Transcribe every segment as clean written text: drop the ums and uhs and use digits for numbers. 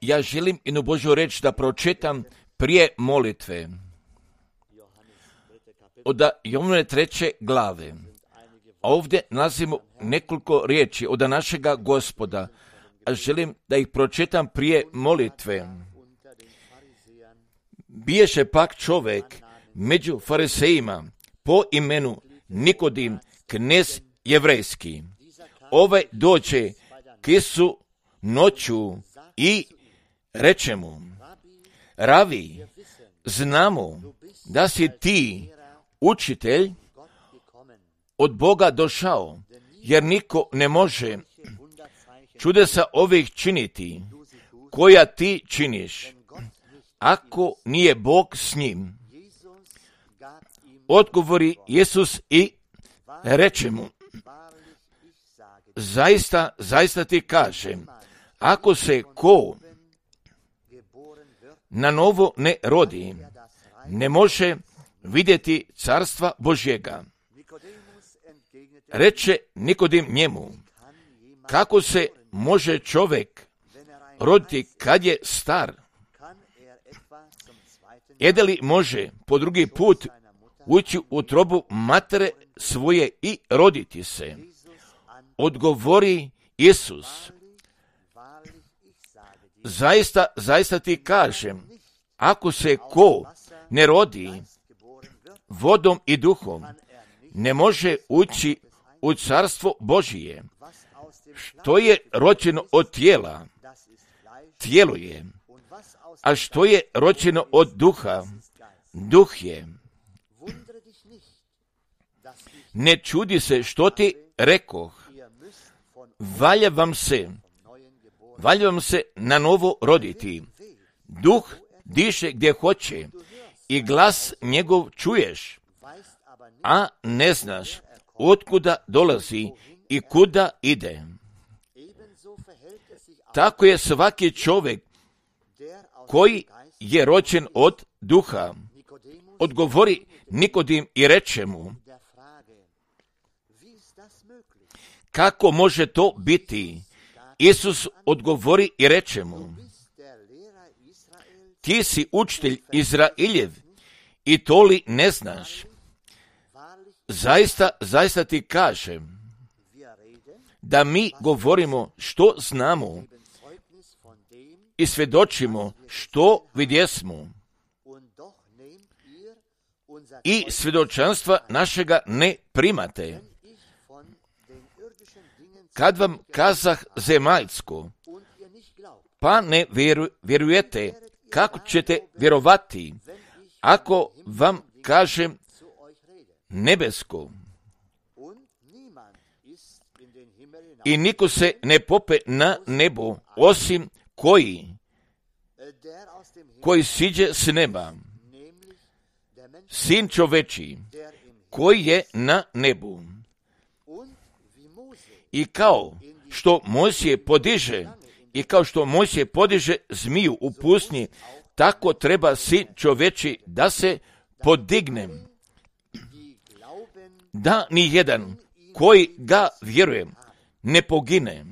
Ja želim jednu Božju reč da pročitam prije molitve. Od Jovane 3. glave. Ovdje nalazimo nekoliko riječi od našega Gospoda, a želim da ih pročitam prije molitve. Biješe pak čovjek među farisejima po imenu Nikodim, knez jevrejski. Ovaj dođe k Isu noću i reče mu: Ravi, znamo da si ti učitelj od Boga došao, jer niko ne može čudesa ovih činiti, koja ti činiš, ako nije Bog s njim. Odgovori Isus i reče mu: Zaista ti kažem, ako se ko na novo ne rodi, ne može vidjeti carstva Božjega. Reče Nikodim njemu: Kako se može čovjek roditi kad je star? Jede li može po drugi put ući u utrobu matere svoje i roditi se? Odgovori Isus: Zaista ti kažem, ako se ko ne rodi vodom i duhom, ne može ući u carstvo Božije. Što je rođeno od tijela, tijelo je, a što je rođeno od duha, duh je. Ne čudi se što ti rekoh, valja vam se na novo roditi. Duh diše gdje hoće i glas njegov čuješ, a ne znaš otkuda dolazi i kuda ide. Tako je svaki čovjek koji je rođen od duha. Odgovori Nikodim i reče mu: Kako može to biti? Isus odgovori i reče mu: Ti si učitelj Izraeljev i to li ne znaš? Zaista ti kažem da mi govorimo što znamo i svjedočimo što vidjesmo, i svjedočanstva našega ne primate. Kad vam kazah zemaljsko, pa ne vjerujete, kako ćete vjerovati ako vam kažem nebesko? I niko se ne pope na nebo, osim koji siđe s neba, sin čovečiji, koji je na nebu. I kao što Mojsije podiže zmiju u pustinji, tako treba sin čovečiji da se podigne, da ni jedan koji ga vjeruje ne pogine,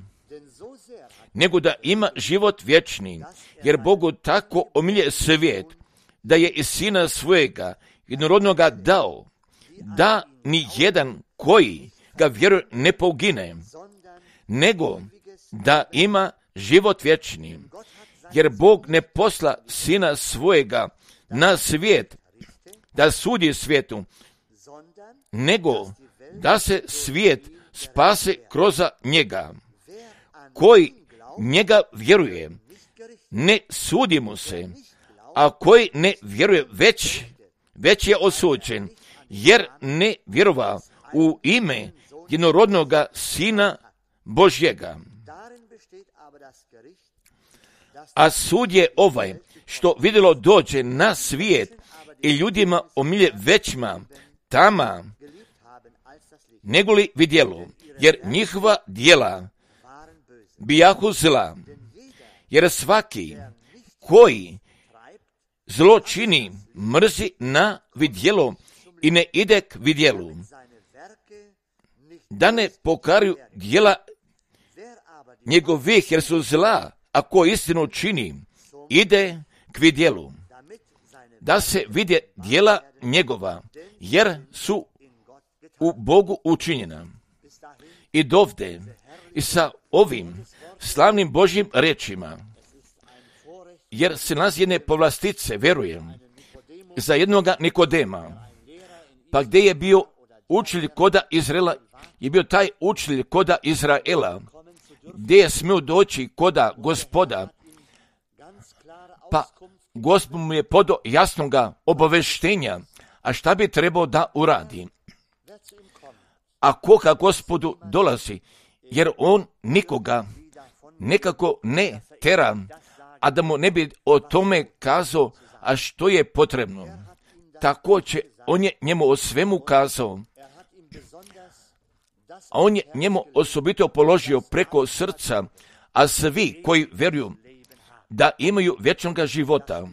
nego da ima život vječni, jer Bogu tako omilje svijet, da je i sina svojega jednorodnoga dao, da ni jedan koji ga vjeruje ne pogine, nego da ima život vječni. Jer Bog ne posla sina svojega na svijet da sudi svijetu, nego da se svijet spase kroz njega. Koji njega vjeruje, ne sudi mu se, a koji ne vjeruje već je osuđen, jer ne vjerova u ime jednorodnoga Sina Božjega. A sud je ovaj, što vidjelo dođe na svijet i ljudima omilje većma tama negoli vidjelo, jer njihova djela bijahu zla. Jer svaki koji zlo čini, mrzi na vidjelo i ne ide k vidjelu, da ne pokaruju djela njegovih, jer su zla, a ko istinu čini, ide k vidjelu, da se vidje djela njegova, jer su u Bogu učinjena. I dovde, i sa ovim slavnim Božjim rečima, jer se nalazi jedne povlastice, vjerujem, za jednoga Nikodema, pa gdje je bio učitelj koda Izraela, je bio taj učitelj koda Izraela, gdje je smio doći koda Gospoda, pa Gospod mu je podao jasnoga obaveštenja, a šta bi trebao da uradi. A koga Gospodu dolazi, jer on nikoga nekako ne tera, a da mu ne bi o tome kazao, a što je potrebno. Također, on je njemu o svemu kazao, a on je njemu osobito položio preko srca, a svi koji vjeruju da imaju vječnog života,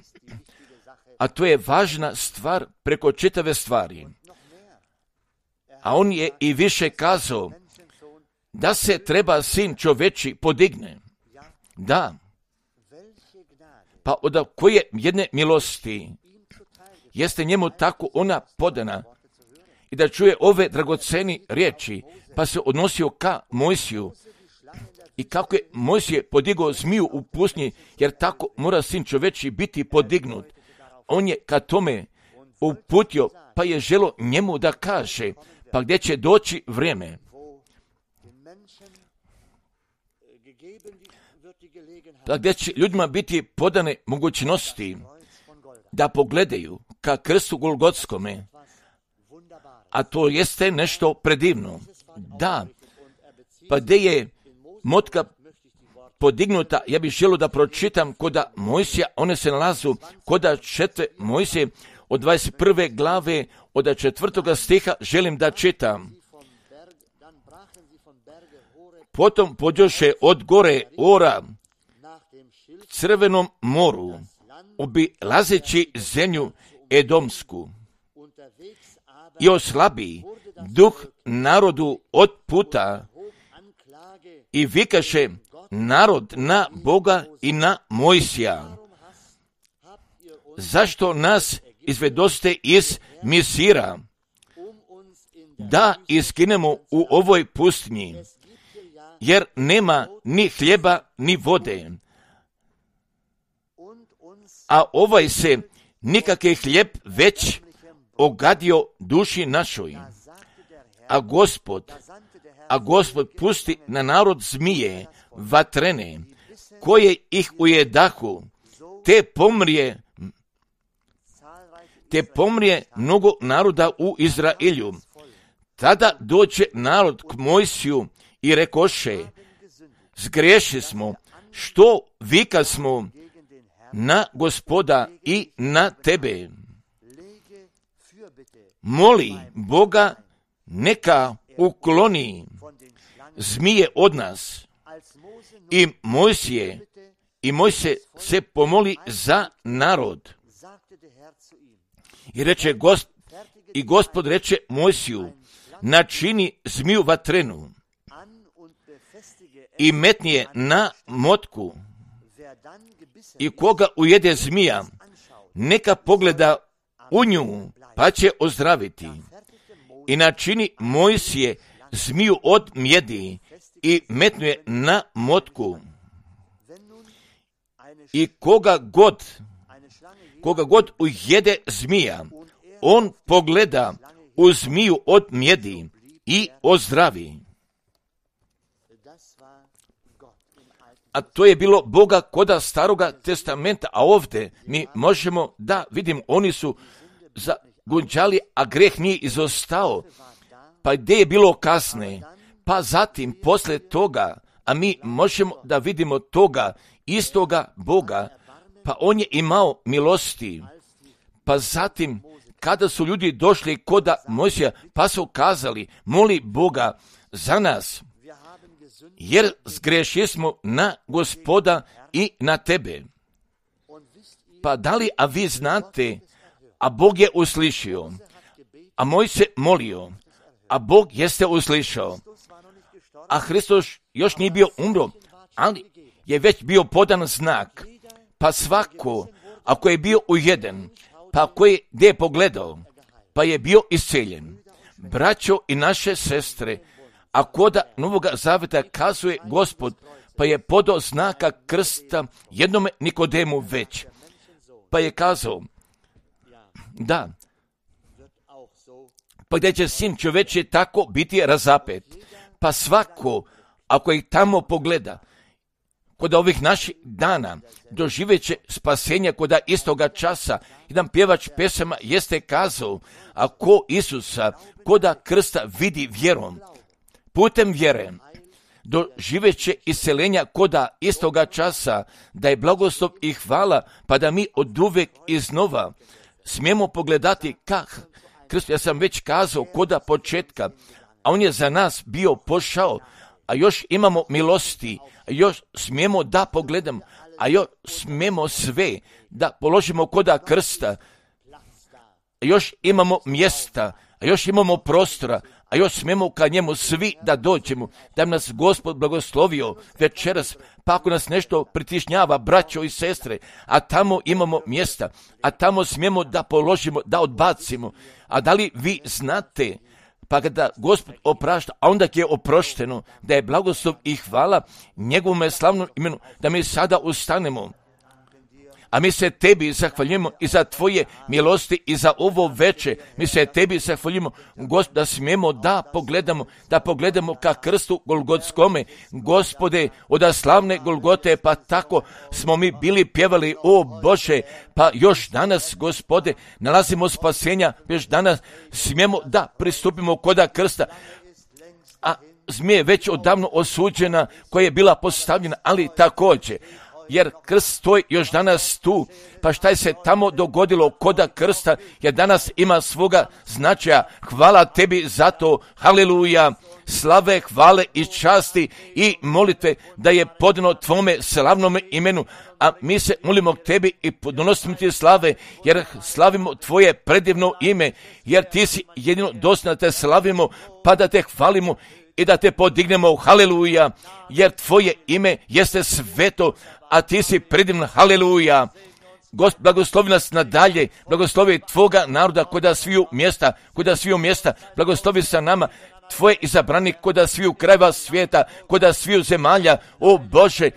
a to je važna stvar preko čitave stvari. A on je i više kazao da se treba sin čoveči podigne. Da, pa od koje jedne milosti jeste njemu tako ona podana i da čuje ove dragoceni riječi, pa se odnosio ka Mojsiju i kako je Mojsije podigao zmiju u pustinji, jer tako mora sin čoveči biti podignut. On je ka tome uputio, pa je želo njemu da kaže, pa gdje će doći vrijeme, pa gdje će ljudima biti podane mogućnosti da pogledaju ka krstu Golgotskome, a to jeste nešto predivno. Da, pa gdje je motka podignuta, ja bih želio da pročitam koda Mojsija, one se nalazu koda 4. Mojsije od 21. glave, od 4. stiha želim da čitam. Potom pođoše od gore Ora k Crvenom moru, obilazeći zemlju Edomsku, i oslabi duh narodu od puta i vikaše narod na Boga i na Mojsija. Zašto nas izvedoste iz Misira, da iskinemo u ovoj pustinji, jer nema ni hljeba ni vode, a ovaj se nikakve hljeb već ogadio duši našoj. A Gospod pusti na narod zmije vatrene, koje ih ujedahu, te pomrije mnogo naroda u Izraelju. Tada dođe narod k Mojsiju i rekoše, zgreši smo, što vika smo na Gospoda i na tebe. Moli Boga, neka ukloni zmije od nas. I Mojsije se pomoli za narod. I Gospod reče Mojsiju, načini zmiju vatrenu i metni je na motku, i koga ujede zmija, neka pogleda u nju, pa će ozdraviti. I načini Mojsije zmiju od mjedi i metnuje na motku. I koga god ujede zmija, on pogleda u zmiju od mjedi i ozdravi. A to je bilo Boga koda Staroga testamenta, a ovdje mi možemo da vidimo, oni su zagunđali, a greh nije izostao. Pa gdje je bilo kasne? Pa zatim, posle toga, a mi možemo da vidimo toga istoga Boga, pa on je imao milosti. Pa zatim, kada su ljudi došli koda Mojsija, pa su kazali, moli Boga za nas, jer zgrešili smo na Gospoda i na tebe. Pa da li, a vi znate, a Bog je uslišio, a Mojsije molio, a Bog jeste uslišao, a Hristos još nije bio umro, ali je već bio podan znak, pa svako, ako je bio ujeden, pa koji gdje je pogledao, pa je bio isceljen. Braćo i naše sestre, a koda Novoga Zaveta kazuje Gospod, pa je podao znaka krsta jednome Nikodemu već, pa je kazao, da, pa gdje će sin čovječe tako biti razapet, pa svako, ako ih tamo pogleda, kod ovih naših dana doživjet će spasenja koda istoga časa. Jedan pjevač pesama jeste kazao, ako Isusa koda krsta vidi vjerom, putem vjere, doživjet će isceljenja koda istoga časa, da je blagoslov i hvala, pa da mi oduvek iznova smijemo pogledati kak krst, ja sam već kazao koda početka, a on je za nas bio pošao, a još imamo milosti, a još smijemo da pogledamo, a još smijemo sve da položimo koda krsta, a još imamo mjesta, a još imamo prostora, a još smijemo ka njemu svi da dođemo, da bi nas Gospod blagoslovio večeras, pa ako nas nešto pritišnjava, braćo i sestre, a tamo imamo mjesta, a tamo smijemo da položimo, da odbacimo. A da li vi znate, pa kada Gospod oprašta, a onda je oprošteno, da je blagoslov i hvala njegovome slavnom imenu, da mi sada ustanemo. A mi se tebi zahvaljujemo i za tvoje milosti i za ovo veče. Mi se tebi zahvaljujemo, Gospod, da smijemo da pogledamo ka krstu Golgotskome. Gospode, od slavne Golgote, pa tako smo mi bili pjevali, o Bože, pa još danas, Gospode, nalazimo spasenja, još danas smijemo da pristupimo koda krsta. A zmija je već odavno osuđena, koja je bila postavljena, ali također, jer krst stoji još danas tu, pa šta je se tamo dogodilo koda krsta, jer danas ima svoga značaja. Hvala tebi za to, haleluja, slave, hvale i časti i molitve da je podano tvome slavnome imenu, a mi se molimo k tebi i donosimo ti slave, jer slavimo tvoje predivno ime, jer ti si jedino dostojan da te slavimo, pa da te hvalimo i da te podignemo, haleluja, jer tvoje ime jeste sveto, a ti si predivan, haleluja. Gospod, blagoslovi nas nadalje, blagoslovi tvoga naroda koda sviju mjesta, blagoslovi sa nama, tvoje izabrani koda sviju krajeva svijeta, koda sviju zemalja, o Bože,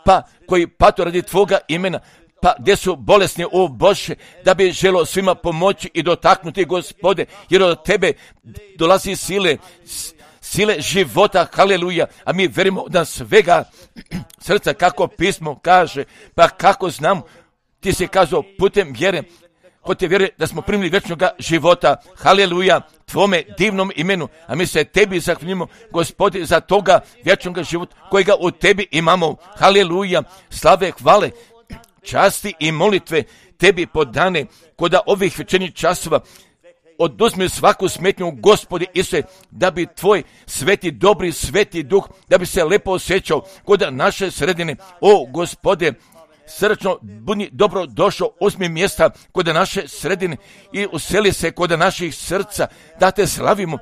pa koji pato radi tvoga imena, pa gdje su bolesni, o Bože, da bi želo svima pomoći i dotaknuti, Gospode, jer od tebe dolazi sile života, haleluja, a mi verimo da svega srca, kako pismo kaže, pa kako znam, ti si kazao putem vjere, kod te vjere da smo primili vječnoga života, haleluja, tvome divnom imenu, a mi se tebi zahvaljujemo, Gospode, za toga vječnoga života kojega u tebi imamo, haleluja, slave, hvale, časti i molitve tebi podane koda ovih večernjih časova. Oduzmi svaku smetnju, Gospode Isuse, da bi tvoj sveti, dobri, sveti duh, da bi se lepo osjećao kod naše sredine. O Gospode, srčno budi dobro došao, uzmi mjesta kod naše sredine i useli se kod naših srca, da te slavimo,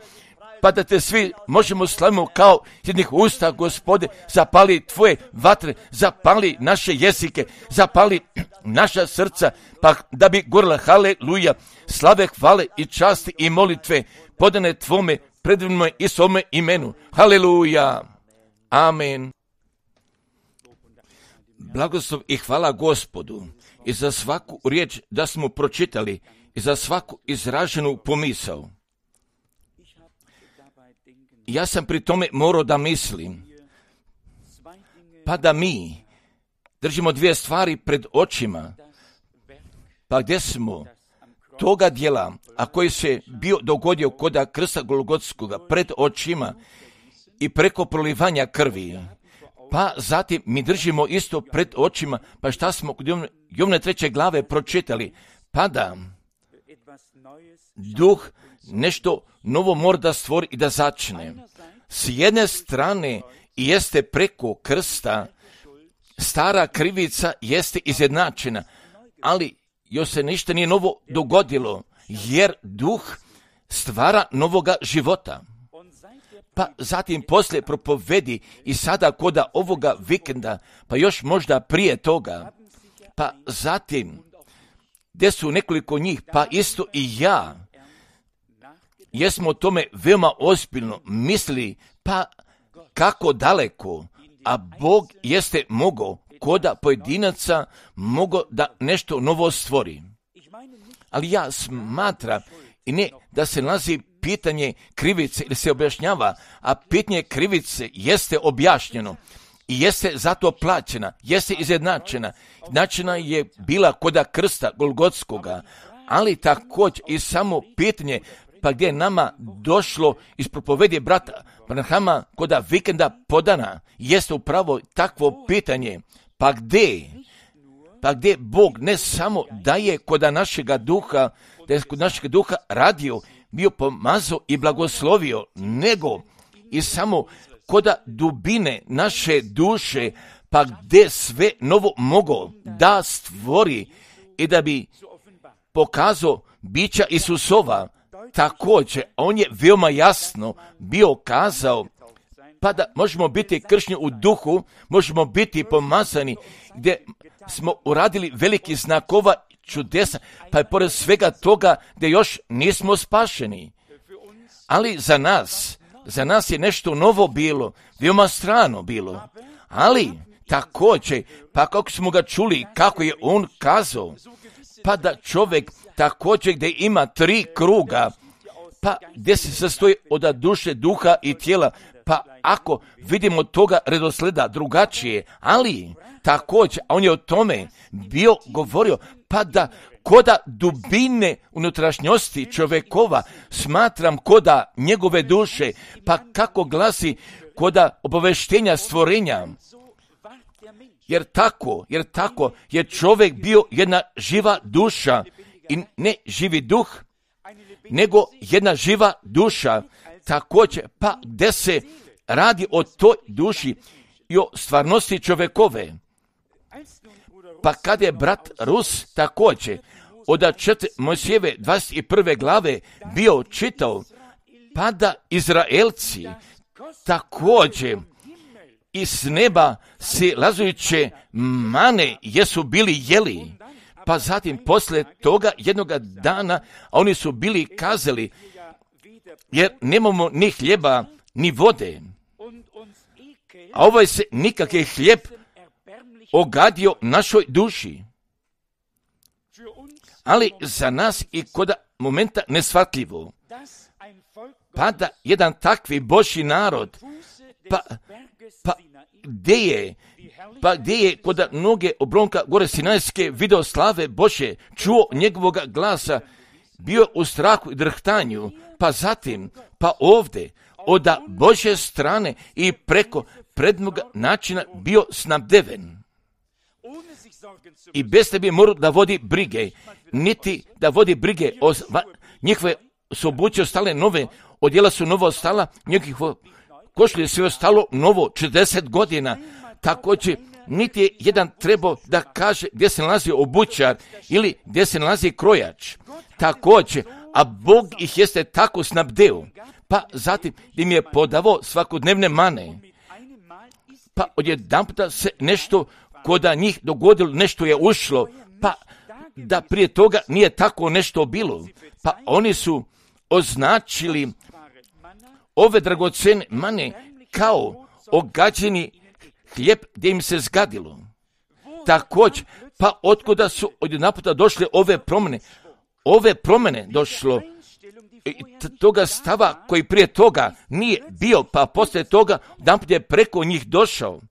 pa da te svi možemo slavimo kao jednih usta, Gospode, zapali tvoje vatre, zapali naše jezike, zapali naša srca, pa da bi gorila, haleluja, slave, hvale i časti i molitve podane tvome predivnome i svome imenu, haleluja, amen. Blagoslov i hvala Gospodu i za svaku riječ da smo pročitali i za svaku izraženu pomisao. Ja sam pri tome morao da mislim, pa da mi držimo dvije stvari pred očima, pa gdje smo toga dijela, a koji se bio dogodio koda krsta Golgotskoga pred očima i preko prolivanja krvi, pa zatim mi držimo isto pred očima, pa šta smo kod Jovne 3. glave pročitali, pa da duh nešto novo mora da stvori i da začne. S jedne strane jeste preko krsta, stara krivica jeste izjednačena, ali još se ništa nije novo dogodilo, jer duh stvara novoga života. pa zatim poslije propovedi i sada koda ovoga vikenda, pa još možda prije toga, pa zatim gdje su nekoliko njih, pa isto i ja, jesmo o tome veoma ozbiljno mislili, pa kako daleko, a Bog jeste mogao koda pojedinaca mogao da nešto novo stvori. Ali ja smatram i ne da se nalazi pitanje krivice ili se objašnjava, a pitanje krivice jeste objašnjeno i jeste zato plaćena, jeste izjednačena. Izjednačena je bila koda krsta Golgotskoga, ali također i samo pitanje pa gdje je nama došlo iz propovedi brata Branhama koda vikenda podana, jeste upravo takvo pitanje. Pa gdje Bog ne samo daje koda našega duha, da je kod našega duha radio, bio pomazao i blagoslovio, nego i samo koda dubine naše duše, pa gdje sve novo mogao da stvori i da bi pokazao bića Isusova. Također, on je veoma jasno bio kazao, pa da možemo biti kršćani u duhu, možemo biti pomazani, gdje smo uradili veliki znakova čudesa, pa je pored svega toga gdje još nismo spašeni. Ali za nas je nešto novo bilo, veoma strano bilo. Ali također, pa kako smo ga čuli, kako je on kazao, pa da čovjek također gdje ima 3 kruga, pa gdje se sastoji od duše, duha i tijela, pa ako vidimo toga redosleda drugačije, ali također, a on je o tome bio govorio, pa da koda dubine unutrašnjosti čovjekova smatram koda njegove duše, pa kako glasi koda obaveštenja stvorenja. Jer tako je čovjek bio jedna živa duša i ne živi duh, nego jedna živa duša. Također, pa gdje se radi o toj duši i o stvarnosti čovjekove. Pa kad je brat Rus također od 4. Mojsijeve 21. glave bio čitao, pa da Izraelci također iz neba silazujuće mane jesu bili jeli, pa zatim poslije toga jednoga dana oni su bili kazali, jer nemamo ni hljeba ni vode, a ovaj se nikakve hljeb ogadio našoj duši. Ali za nas i koda momenta neshvatljivo, pa da jedan takvi Božji narod, pa gdje je koda mnoge obronka gore Sinajske video slave Božje, čuo njegovog glasa, bio u strahu i drhtanju, pa zatim, pa ovdje, od Božje strane i preko prednog načina bio snabdeven. I bez tebi morao da vodi brige, niti da vodi brige o njihove su obuće ostale nove, odjela su novo ostala, njihovo košlje sve ostalo novo 40 godina. Također, niti je jedan trebao da kaže gdje se nalazi obućar ili gdje se nalazi krojač. Također, a Bog ih jeste tako snabdeo, pa zatim im je podavao svakodnevne mane. Pa odjedanputa se nešto koda njih dogodilo, nešto je ušlo, pa da prije toga nije tako nešto bilo. Pa oni su označili ove dragocene mane kao ogađeni hljeb gdje im se zgadilo. Također, pa otkuda su odjedanputa došle ove promjene došlo toga stava koji prije toga nije bio, pa poslije toga odjedanput je preko njih došao.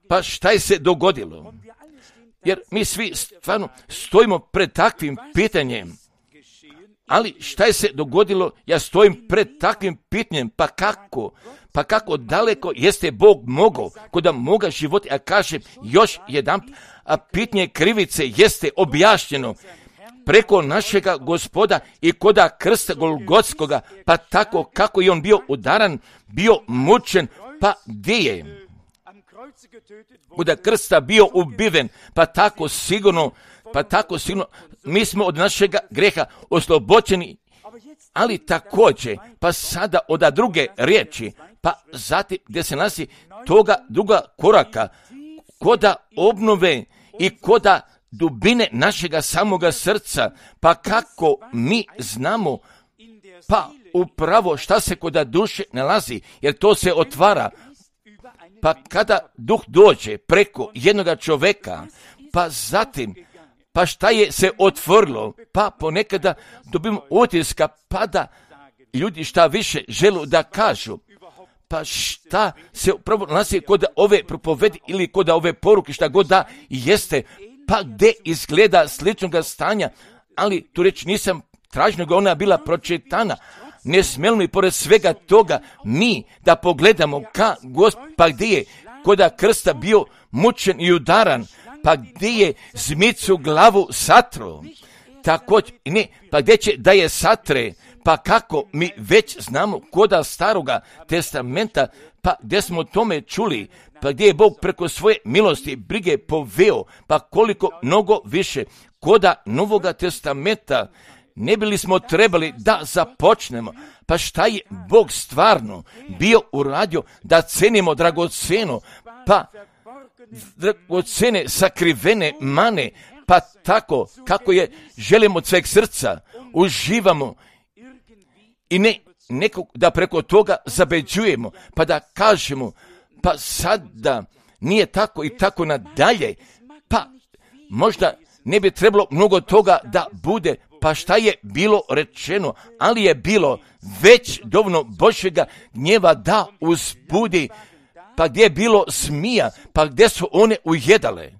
Pa šta je se dogodilo? Jer mi svi stvarno stojimo pred takvim pitanjem. Ali šta je se dogodilo? Ja stojim pred takvim pitanjem. Pa kako daleko jeste Bog mogao kod moga života, a kažem još jedan, a pitanje krivice jeste objašnjeno preko našega Gospoda i koda krsta Golgotskoga, pa tako kako je on bio udaran, bio mučen, pa gdje je? Koda krsta bio ubiven, pa tako sigurno mi smo od našega greha oslobođeni Ali također, pa sada od druge riječi, pa zatim gdje se nalazi toga druga koraka, koda obnove i koda dubine našega samoga srca, pa kako mi znamo, pa upravo šta se koda duše nalazi, jer to se otvara, pa kada duh dođe preko jednoga čoveka, pa zatim, pa šta je se otvorilo, pa ponekada dobimo utiska, pa da ljudi šta više žele da kažu, pa šta se upravo nalazi kod ove propovedi ili kod ove poruke, šta god da jeste, pa gdje izgleda sličnog stanja, ali tu reč nisam tražio, nego ona bila pročitana. Ne smijemo li pored svega toga mi da pogledamo ka Gospod, pa gdje je koda krsta bio mučen i udaran, pa gdje je zmicu glavu satro, također, ne, pa gdje će da je satre, pa kako mi već znamo koda staroga testamenta, pa gdje smo o tome čuli, pa gdje je Bog preko svoje milosti brige poveo, pa koliko mnogo više koda Novoga testamenta ne bili smo trebali da započnemo, pa šta je Bog stvarno bio uradio da cenimo dragoceno, pa dragocene sakrivene mane, pa tako kako je želimo od sveg srca, uživamo i ne nekog da preko toga zabeđujemo, pa da kažemo, pa sad da nije tako i tako nadalje, pa možda ne bi trebalo mnogo toga da bude, pa šta je bilo rečeno, ali je bilo već dovoljno Božjega gnjeva da uzbudi, pa gdje je bilo smija, pa gdje su one ujedale,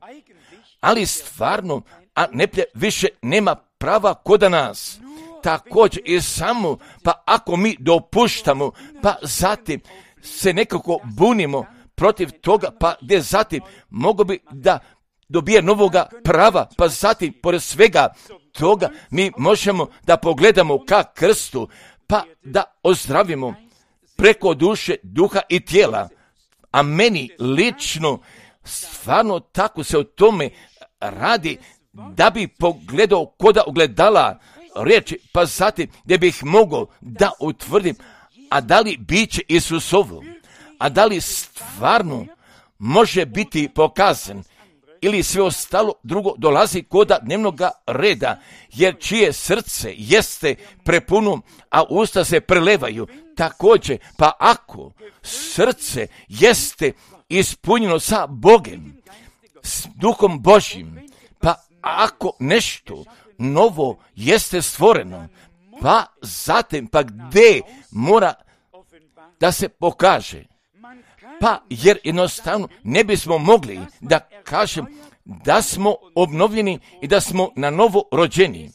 ali stvarno, a neplje više nema prava koda nas. Također i samo, pa ako mi dopuštamo, pa zatim se nekako bunimo protiv toga, pa gdje zatim mogu bi da dobije novoga prava, pa zatim pored svega toga mi možemo da pogledamo ka krstu, pa da ozdravimo preko duše, duha i tijela. A meni lično stvarno tako se o tome radi, da bi pogledao koda ogledala riječi, pa zatim gdje bih mogao da utvrdim, a da li biće Isusovo, a da li stvarno može biti pokazan, ili sve ostalo drugo dolazi koda dnevnog reda, jer čije srce jeste prepuno, a usta se prelevaju. Također, pa ako srce jeste ispunjeno sa Bogom, s Duhom Božjim, pa ako nešto novo jeste stvoreno, pa zatim, pa gdje mora da se pokaže, pa jer jednostavno ne bismo mogli da kažem da smo obnovljeni i da smo na novo rođeni.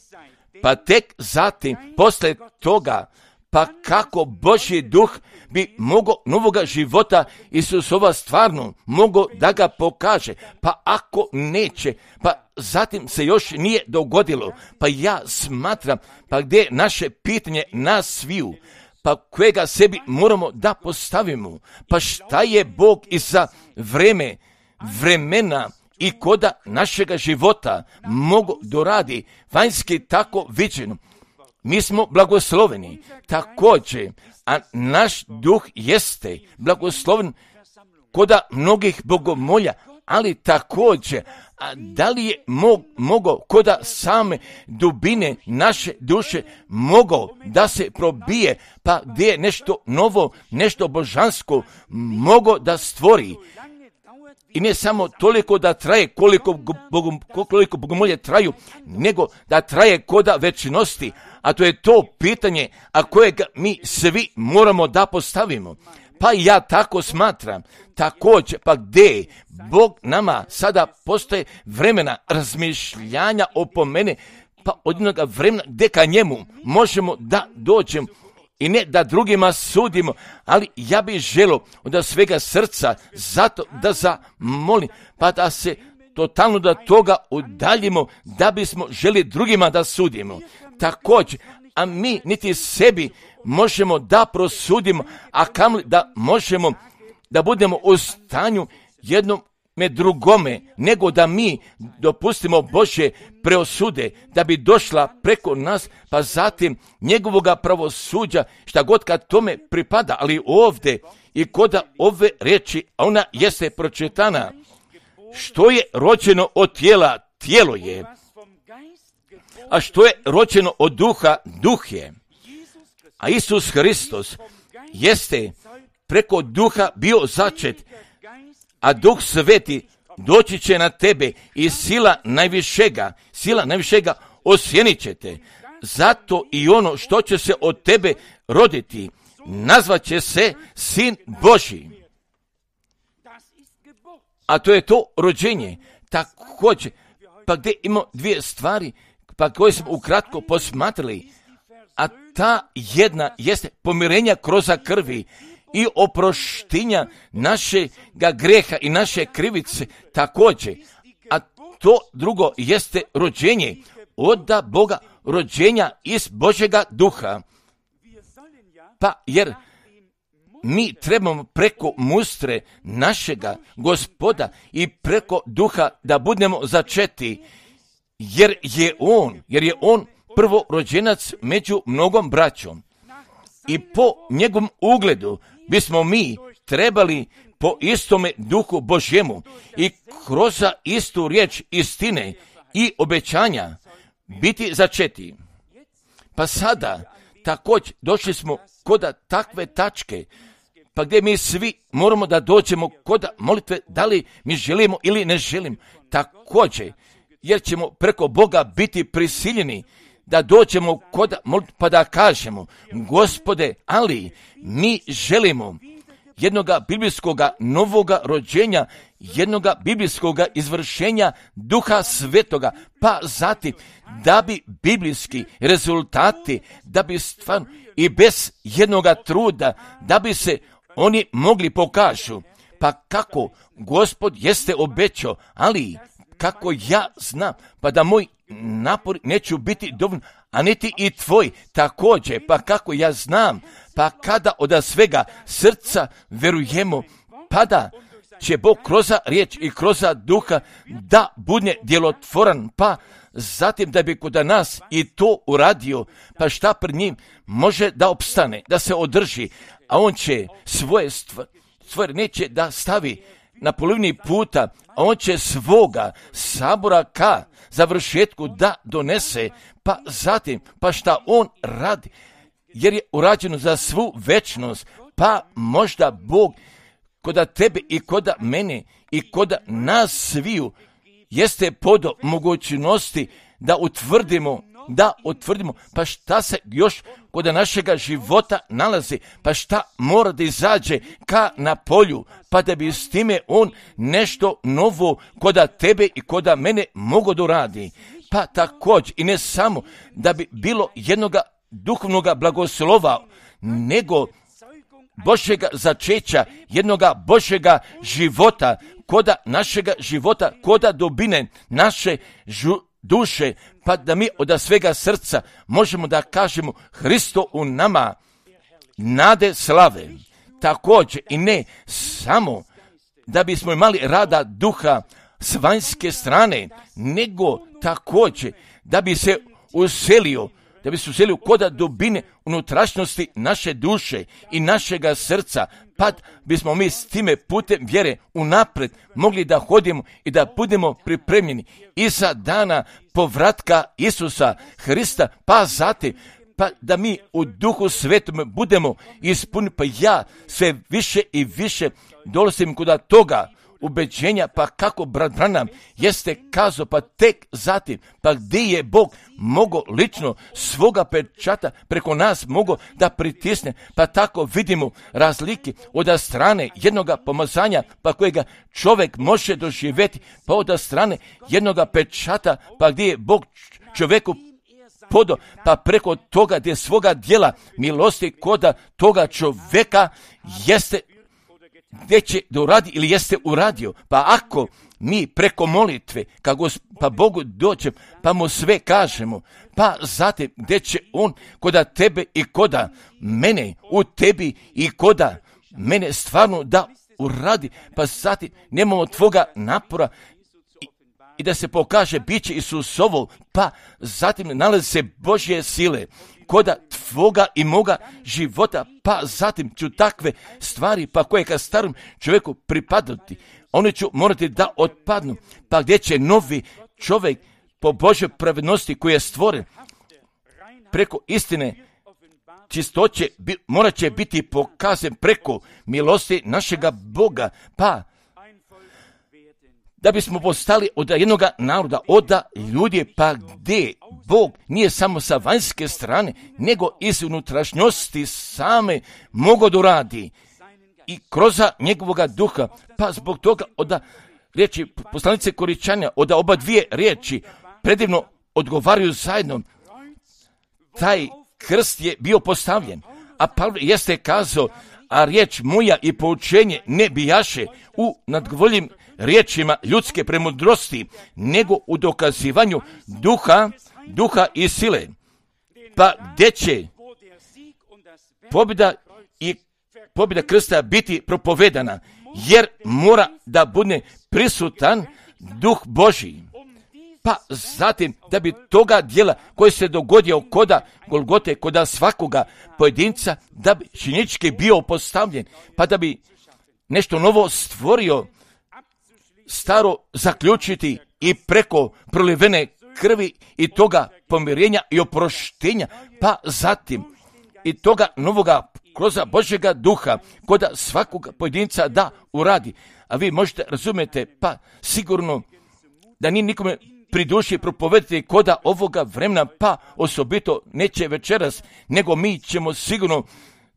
Pa tek zatim, posle toga, pa kako Božji duh bi mogao novoga života Isusova stvarno mogao da ga pokaže, pa ako neće, pa zatim se još nije dogodilo, pa ja smatram, pa gdje je naše pitanje nas sviju, pa kojega sebi moramo da postavimo, pa šta je Bog i za vremena i koda našega života mogu doradi vanjski tako viđeno. Mi smo blagosloveni također, a naš duh jeste blagosloven koda mnogih bogomolja, ali također, a da li je mogao koda same dubine naše duše mogao da se probije, pa gdje je nešto novo, nešto božansko mogao da stvori. I ne samo toliko da traje koliko bogomolje traju, nego da traje koda večnosti, a to je to pitanje, a kojeg mi svi moramo da postavimo. Pa ja tako smatram, također, pa gdje Bog nama sada postoje vremena razmišljanja o pomene, pa od jednoga vremena gdje ka njemu možemo da dođemo i ne da drugima sudimo, ali ja bih želio od svega srca zato da zamolim, pa da se totalno do toga udaljimo, da bismo želi drugima da sudimo. Također, a mi niti sebi možemo da prosudimo, a kamli da možemo da budemo u stanju jednom me drugome, nego da mi dopustimo Božje preosude, da bi došla preko nas, pa zatim njegovoga pravosuđa, šta god kad tome pripada, ali ovdje i kod ove riječi, ona jeste pročitana, što je rođeno od tijela, tijelo je, a što je rođeno od duha, duh je. A Isus Hristos jeste preko duha bio začet, a Duh Sveti doći će na tebe i sila najvišega osjenit će te. Zato i ono što će se od tebe roditi, nazvat će se Sin Božji. A to je to rođenje. Također, pa gdje imamo dvije stvari, pa koje smo ukratko posmatrali, a ta jedna jeste pomirenja kroz krvi i oproštenja našega greha i naše krivice također. A to drugo jeste rođenje od Boga, rođenja iz Božjega duha. Pa jer mi trebamo preko mustre našega Gospoda i preko duha da budemo začeti, jer je on prvorođenac među mnogom braćom. I po njegovom ugledu bismo mi trebali po istome duhu Božjemu i kroz istu riječ istine i obećanja biti začeti. Pa sada također došli smo kod takve tačke, pa gdje mi svi moramo da dođemo kod molitve, da li mi želimo ili ne želimo. Također, jer ćemo preko Boga biti prisiljeni da dođemo kod molitve pa da kažemo, Gospode, ali mi želimo jednoga biblijskoga novoga rođenja, jednoga biblijskoga izvršenja Duha Svetoga, pa zatim da bi biblijski rezultati, da bi stvarno i bez jednoga truda, da bi se oni mogli pokažu. Pa kako Gospod jeste obećao, ali kako ja znam, pa da moj napor neću biti dovoljno, a niti i tvoj također, pa kako ja znam, pa kada od svega srca verujemo, pa da će Bog kroz riječ i kroz duha da bude djelotvoran, pa zatim da bi kod nas i to uradio, pa šta pred njim može da opstane, da se održi, a on će svoje stvari neće da stavi na polovini puta, a on će svoga sabora ka završetku da donese, pa zatim, pa šta on radi, jer je urađeno za svu večnost, pa možda Bog koda tebe i koda mene i koda nas sviju jeste podo mogućnosti da utvrdimo, pa šta se još kod našega života nalazi, pa šta mora da izađe ka na polju, pa da bi s time on nešto novo koda tebe i koda mene mogo da uradi. Pa također i ne samo da bi bilo jednoga duhovnoga blagoslova, nego Božjega začeća, jednoga Božjega života, koda našega života, koda dobine naše duše, pa da mi od svega srca možemo da kažemo Hristo u nama, nade slave. Također i ne samo da bismo imali rada duha s vanjske strane, nego također da bi se uselio koda dubine unutrašnjosti naše duše i našega srca, pa bismo mi s time putem vjere unaprijed mogli da hodimo i da budemo pripremljeni i za dana povratka Isusa Hrista, pa zatim, pa da mi u Duhu Svetom budemo ispunjeni, pa ja sve više i više dolazim kod toga ubeđenja, pa kako brat Branham jeste kazao, pa tek zatim, pa gdje je Bog mogao lično svoga pečata preko nas mogao da pritisne, pa tako vidimo razlike od strane jednoga pomazanja, pa kojega čovjek može doživjeti, pa od strane jednoga pečata, pa gdje je Bog čovjeku podo, pa preko toga gdje svoga djela milosti koda toga čovjeka jeste gdje će da uradi ili jeste uradio. Pa ako mi preko molitve pa Bogu dođem, pa mu sve kažemo, pa zatim gdje će on koda tebe i koda mene, u tebi i koda mene stvarno da uradi, pa zatim nemamo tvoga napora i da se pokaže biće Isusovo, pa zatim nalazi se Božje sile koda tvoga i moga života, pa zatim ću takve stvari, pa koje ka starom čovjeku pripadati, oni ću morati da otpadnu, pa gdje će novi čovjek po Božjoj pravednosti koji je stvoren preko istine čistoće, morat će biti pokazan preko milosti našega Boga, pa da bismo postali od jednog naroda, od ljudi, pa gdje Bog nije samo sa vanjske strane, nego iz unutrašnjosti same mogo da radi i kroz njegovoga duha, pa zbog toga od riječi poslanice Koričanja, od oba dvije riječi predivno odgovaraju zajedno. Taj krst je bio postavljen, a Pavle jeste kazao, a riječ moja i poučenje ne bijaše u nadgovoljim riječima ljudske premudrosti, nego u dokazivanju duha i sile. Pa gdje će pobjeda krsta biti propovedana, jer mora da bude prisutan duh Božji. Pa zatim da bi toga djela koji se dogodio koda Golgote, koda svakoga pojedinca, da bi činjenički bio postavljen, pa da bi nešto novo stvorio, staro zaključiti i preko prolivene krvi i toga pomirenja i oproštenja, pa zatim i toga novoga kroz Božjega duha koda svakog pojedinca da uradi. A vi možete razumjeti, pa sigurno da nije nikome pri duši propovedati koda ovoga vremena, pa osobito neće večeras, nego mi ćemo sigurno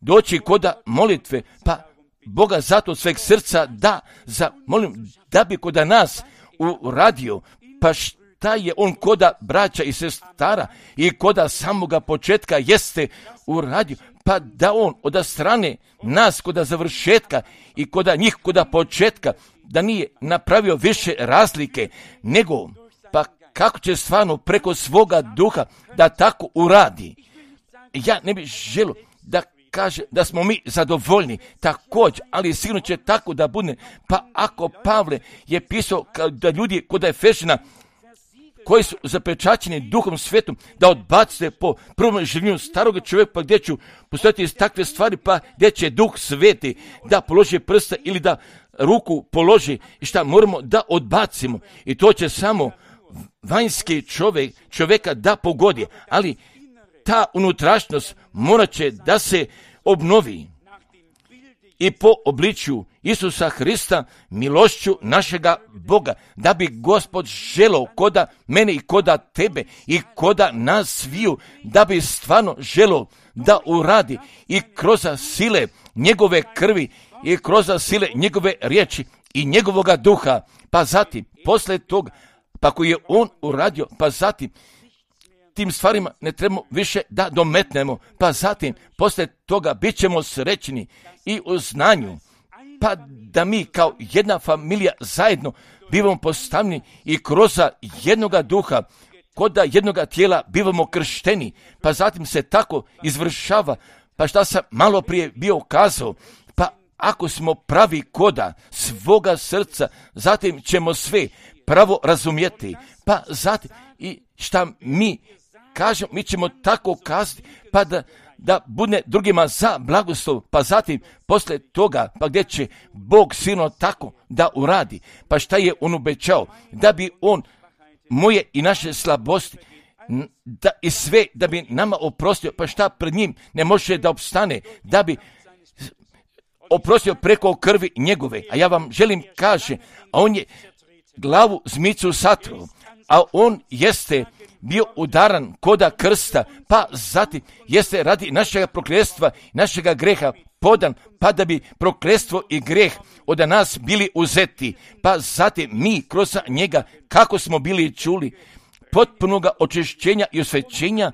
doći koda molitve, pa Boga zato sveg srca da zamolim, da bi koda nas uradio, pa šta je on koda braća i sestara i koda samoga početka jeste uradio, pa da on od strane nas koda završetka i koda njih koda početka, da nije napravio više razlike, nego pa kako će stvarno preko svoga duha da tako uradi. Ja ne bih želio da kaže da smo mi zadovoljni također, ali sigurno će tako da bude. Pa ako Pavle je pisao da ljudi kod Efešina koji su zapečaćeni duhom svetom da odbace po prvom življenju starog čovjeka, pa gdje ću postojati iz takve stvari, pa gdje će duh sveti da položi prsta ili da ruku položi i šta moramo da odbacimo. I to će samo vanjski čovjeka da pogodi, ali ta unutrašnjost morat će da se obnovi i po obličju Isusa Hrista, milošću našega Boga, da bi Gospod želao koda mene i koda tebe i koda nas sviju, da bi stvarno želao da uradi i kroz sile njegove krvi i kroz sile njegove riječi i njegovoga duha, pa zatim posle toga, pa koji je on uradio, pa zatim tim stvarima ne trebamo više da dometnemo, pa zatim posle toga bit ćemo srećni i u znanju, pa da mi kao jedna familija zajedno bivamo postavljeni i kroz jednoga duha, kod jednoga tijela bivamo kršteni, pa zatim se tako izvršava, pa šta sam malo prije bio kazao, pa ako smo pravi koda svoga srca, zatim ćemo sve pravo razumjeti, pa zatim i šta mi kažemo, mi ćemo tako kazati, pa da bude drugima za blagoslov, pa zatim posle toga, pa gdje će Bog silno tako da uradi, pa šta je on obećao, da bi on moje i naše slabosti da i sve da bi nama oprostio, pa šta pred njim ne može da opstane, da bi oprostio preko krvi njegove. A ja vam želim kaže, a on je glavu zmicu satru, a on jeste bio udaran koda krsta, pa zatim jeste radi našega prokletstva, našega greha podan, pa da bi prokletstvo i greh od nas bili uzeti, pa zatim mi kroz njega, kako smo bili čuli, potpunoga očišćenja i osvećenja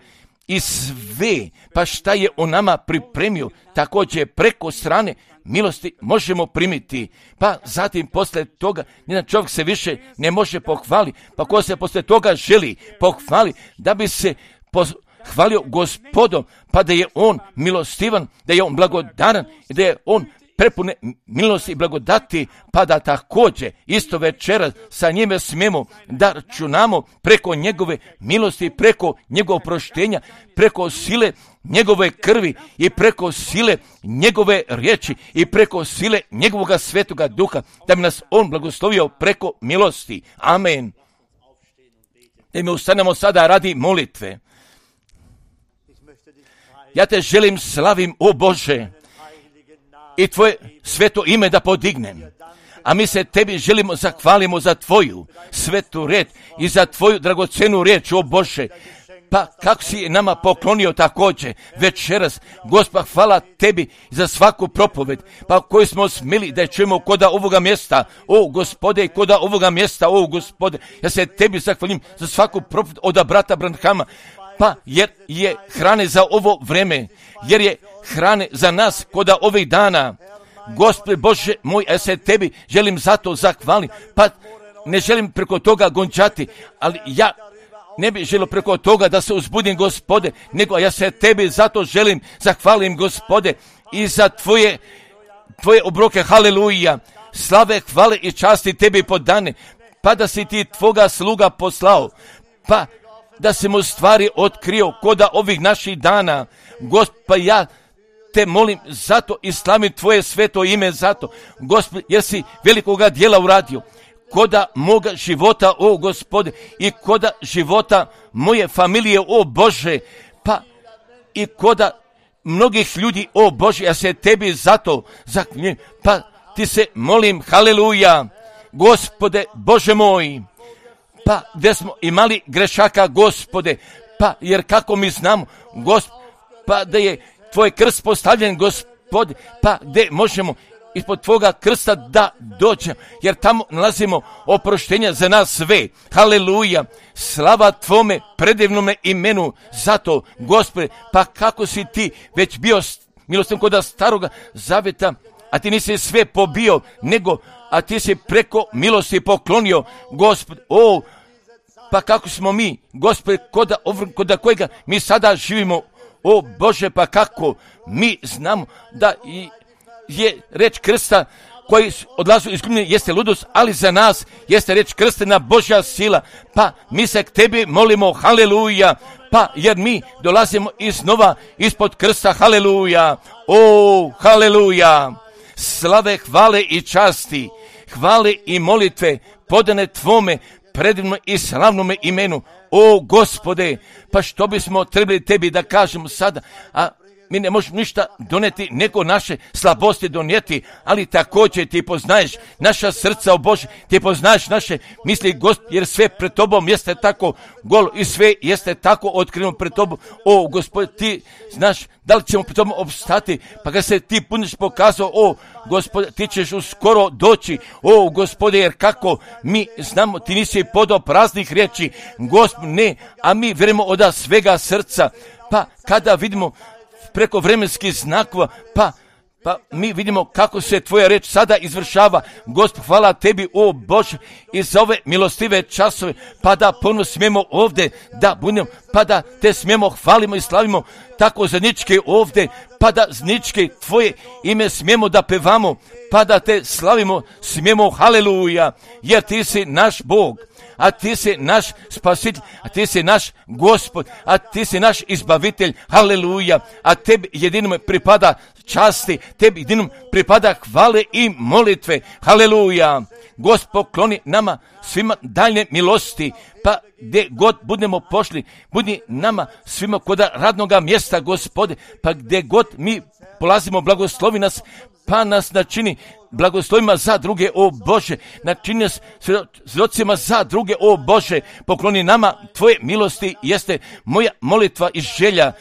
i sve, pa šta je on nama pripremio, također preko strane milosti možemo primiti, pa zatim posle toga nijedan čovjek se više ne može pohvaliti, pa ko se posle toga želi pohvali, da bi se hvalio Gospodom, pa da je on milostivan, da je on blagodaran i da je on prepune milosti i blagodati, pa da također isto večeras sa njime smijemo da računamo preko njegove milosti, preko njegovog oproštenja, preko sile njegove krvi i preko sile njegove riječi i preko sile njegovoga svetoga duha, da bi nas on blagoslovio preko milosti. Amen. Da mi ustanemo sada radi molitve. Ja te želim slavim, o Bože, i tvoje sveto ime da podignem. A mi se tebi želimo zahvalimo za tvoju svetu riječ i za tvoju dragocenu riječ, o Bože. Pa kako si nama poklonio također večeras, Gospod, hvala tebi za svaku propoved, pa koju smo smjeli da je čujemo koda ovoga mjesta, o Gospode, koda ovoga mjesta, o Gospode. Ja se tebi zahvalim za svaku propoved od brata Branhama, pa jer je hrane za ovo vreme, jer je hrane za nas koda ovih dana. Gospod Bože moj, ja se tebi želim zato zahvalim, pa ne želim preko toga gončati, ali ja ne bih želio preko toga da se uzbudim, Gospode, nego ja se tebi zato želim zahvalim, Gospode, i za tvoje obroke, haleluja, slave, hvale i časti tebi podane, pa da si ti tvoga sluga poslao, pa da si mu stvari otkrio koda ovih naših dana. Gospod, pa ja te molim zato i slavim tvoje sveto ime zato, Gospod, jer si velikoga djela uradio koda moga života, o Gospode, i koda života moje familije, o Bože, pa i koda mnogih ljudi, o Bože, ja se tebi zato zaklinjem, pa ti se molim, haleluja, Gospode, Bože moj, pa gdje smo imali grešaka, Gospode, pa jer kako mi znamo, Gospod, pa da je tvoj krst postavljen, Gospode, pa gdje možemo ispod tvoga krsta da dođemo, jer tamo nalazimo oproštenja za nas sve. Haleluja, slava tvome predivnome imenu, zato, Gospode, pa kako si ti već bio milostiv koda staroga zavjeta, a ti nisi sve pobio, nego, a ti si preko milosti poklonio, Gospode, o, pa kako smo mi, Gospode, koda kojega mi sada živimo, o Bože, pa kako mi znamo da je reč krsta koji odlazu iz glumine jeste ludost, ali za nas jeste reč krstena Božja sila, pa mi se k tebi molimo, haleluja, pa jer mi dolazimo iznova ispod krsta, haleluja, o, haleluja, slave, hvale i časti, hvale i molitve podane tvome predivnom i slavnome imenu, o Gospode, pa što bismo trebali tebi da kažemo sada, a mi ne možemo ništa doneti, nego naše slabosti donijeti, ali također ti poznaješ naša srca, o Bože, ti poznaješ naše misli, Gospod, jer sve pred tobom jeste tako golo i sve jeste tako otkriveno pred tobom, o Gospod, ti znaš da li ćemo pred tobom opstati, pa kad se ti puniš pokazao, o Gospod, ti ćeš uskoro doći, o Gospode, jer kako mi znamo, ti nisi podao praznih riječi, Gospod, ne, a mi vjerujemo od svega srca, pa kada vidimo preko vremenskih znakova, pa mi vidimo kako se tvoja reč sada izvršava. Gospod, hvala tebi, o Bože, i za ove milostive časove, pa da ponovno smijemo ovdje da budemo, pa da te smijemo hvalimo i slavimo tako zajednički ovdje, pa da zajednički tvoje ime smijemo da pevamo, pa da te slavimo smijemo, haleluja, jer ti si naš Bog, a ti si naš spasitelj, a ti si naš Gospod, a ti si naš izbavitelj, haleluja, a tebi jedinom pripada časti, tebi jedinom pripada hvale i molitve, haleluja. Gospod, pokloni nama svima daljne milosti, pa gdje god budemo pošli, budi nama svima koda radnoga mjesta, Gospode, pa gdje god mi polazimo, blagoslovi nas, pa nas načini blagoslovima za druge, o Bože, načini nas svjedocima za druge, o Bože, pokloni nama tvoje milosti, jeste moja molitva i želja,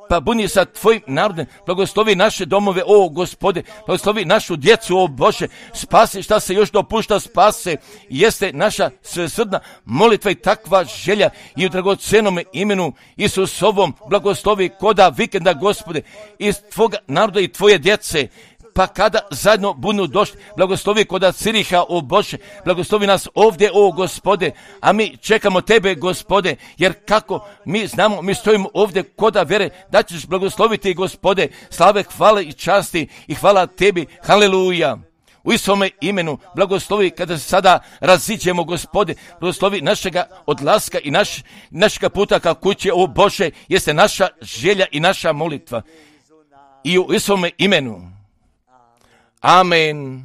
pa budi sa tvojim narodom, blagoslovi naše domove, o Gospode, blagoslovi našu djecu, o Bože, spasi šta se još dopušta, spase, jeste naša svesrdna molitva i takva želja i u dragocenome imenu Isusovom blagoslovi koda vikenda, Gospode, iz tvoga naroda i tvoje djece, pa kada zajedno budu došli, blagoslovi kod Ciriha, o Bože, blagoslovi nas ovdje, o Gospode, a mi čekamo Tebe, Gospode, jer kako mi znamo, mi stojimo ovdje koda vere, da ćeš blagosloviti, Gospode, slave, hvale i časti i hvala Tebi, haleluja. U istome imenu blagoslovi kada se sada raziđemo, Gospode, blagoslovi našega odlaska i našega puta ka kući, o Bože, jeste naša želja i naša molitva. I u istome imenu. Amen.